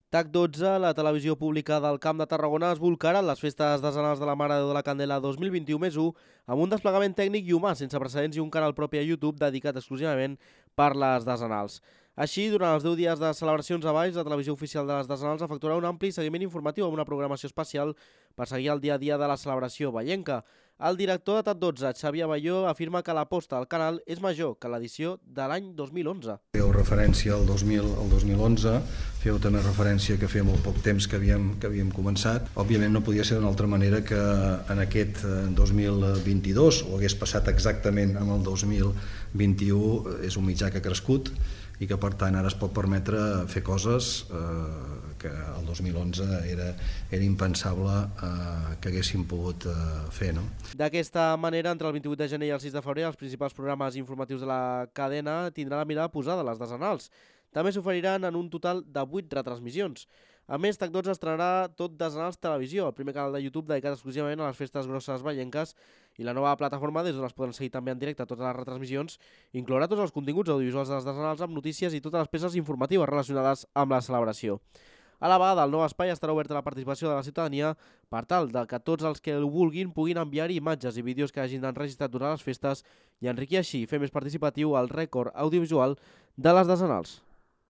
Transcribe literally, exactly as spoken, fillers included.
T A C dotze, la televisió pública del Camp de Tarragona, es bolcarà en les festes desenals de la Mare de Déu de la Candela dos mil vint-i-u més u amb un desplegament tècnic i humà sense precedents i un canal propi a YouTube dedicat exclusivament per les desenals. Així, durant els deu dies de celebracions a Valls, la televisió oficial de les desenals efectuarà un ampli seguiment informatiu amb una programació especial per seguir el dia a dia de la celebració vallenca. El director de T A C dotze, Xavier Abelló, afirma que l'aposta al canal és major que l'edició de l'any dos mil onze. Feu referència al dos mil, al dos mil onze, feu també referència que feia molt poc temps que havíem, que havíem començat. Òbviament no podia ser d'una altra manera que en aquest dos mil vint-i-dos, o hagués passat exactament amb el dos mil vint-i-u, és un mitjà que ha crescut i que per tant ara es pot permetre fer coses eh, que el dos mil onze era, era impensable eh, que haguéssim pogut eh, fer. No? D'aquesta manera, entre el vint-i-vuit de gener i el sis de febrer, els principals programes informatius de la cadena tindran la mirada posada a les desenals. També s'oferiran en un total de vuit retransmissions. A més, T A C dotze estrenarà Tot Desenals Televisió, el primer canal de YouTube dedicat exclusivament a les festes grosses vallenques, i la nova plataforma des d'on es poden seguir també en directe totes les retransmissions inclourà tots els continguts audiovisuals de les desenals amb notícies i totes les peces informatives relacionades amb la celebració. A la vegada, el nou espai estarà obert a la participació de la ciutadania per tal de que tots els que ho vulguin puguin enviar-hi imatges i vídeos que hagin enregistrat durant les festes i enriquir així i fer més participatiu el rècord audiovisual de les desenals.